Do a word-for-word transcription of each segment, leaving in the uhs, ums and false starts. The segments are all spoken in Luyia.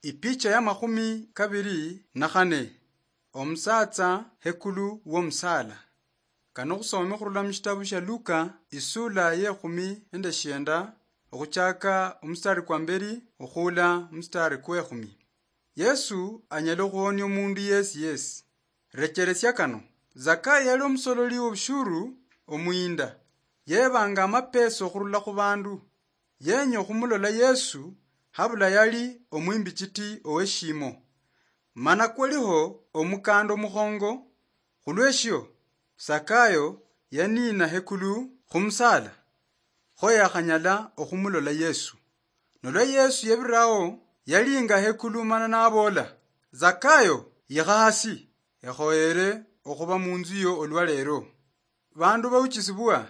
Ipicha ya makhumi kabiri na khane. Omusaatsa hekulu womusaala. Kano khusome khurula mushitabu shia Luka, isula ye khumi nende shienda, okhuchaka omustari kwa mberi okhuula omustari kwe khumi. Yesu anyala okhuhonia omundu yesi yesi. Recheresia kano. Zakayo yali omusololi wobushuru omuyinda. Yebanga amapesa okhurula khubandu. Yenya okhumulola Yesu habula yali omwimbichiti oweshimo. Mana kwaliho omukanda omukhongo, khulweshio Zakayo yaniina hekulu khumusala, kho yakhanyala okhumulola Yesu. Nolwa Yesu yebirao, yalinga hekulu mana nabola, "Zakayo, yikha hasi, ekhoyere okhuba munzu yo olwa leero." Bandu bauchisibwa,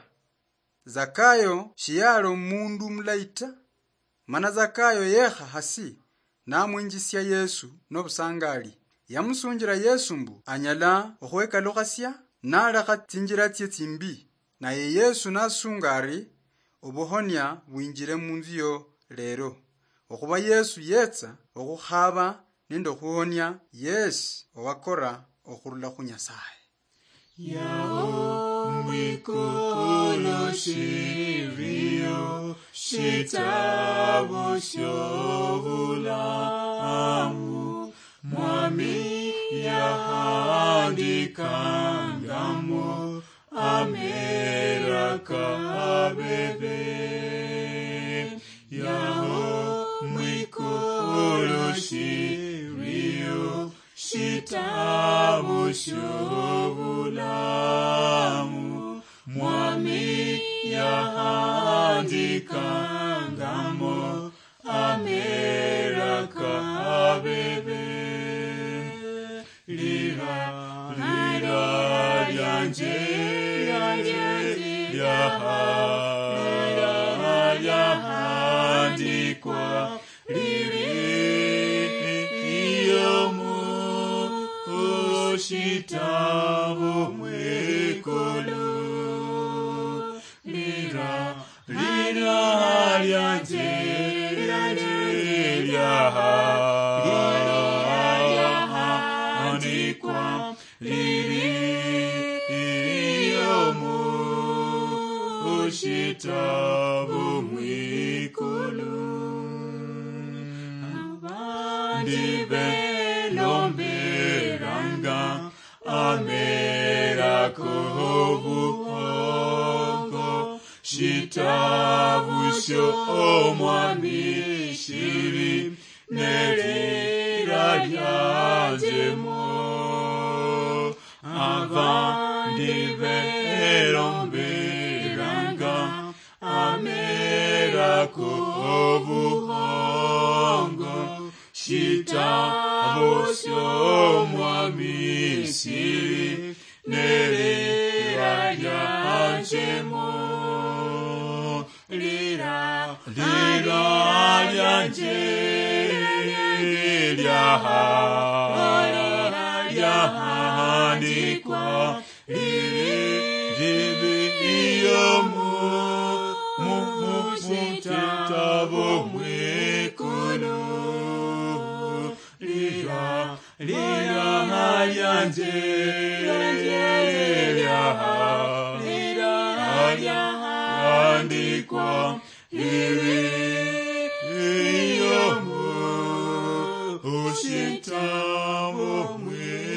Zakayo shiyali omundu mulayi ta, mana Zakayo yekha hasi namwinjisia Yesu nobusangali. Yamusunjila Yesu mbu anyala okhwekalukhasia nalekha tsinjila tsie tsimbi. Naye Yesu nasunga ari, "Obuhonia bwinjile munzu yo leero." Okhuba Yesu yetsa okhukhaba nende okhuhonia yesi owakora okhurula khu Nyasaye. Yaho mwikulu shiriyo shitabu shobulamu, Mwami yahandikangamo amera kabebe. Yaho mwikulu shiriyo shitabu shobulamu, Mwami yahandikangamo amera kabebe. Lira, lira lyanje, lyanje, lyaha, lyaha, lyahandikwa, liri iyo mu shitabu mwikulu. Lira, lira lyanje, lyanje, lyaha, lyahandikwa, liri iyo mu shitabu mwikulu. Abandi belomberanga amera kobuhongo, shitabu shio Omwami shiri nelira lyanjemo. Abandi belomberanga amera kobuhongo, shitabu shio Mwami shiri nelira lyanjemo. Lira, lira lyanje, lyaha, lyahandikwa, liri, liri iyo mu, mu, mu, mu shitabu mwikulu. Lira, lira lyanje, lyaha, lira lyahandikwa, liri iyo mu shitabu mwikulu.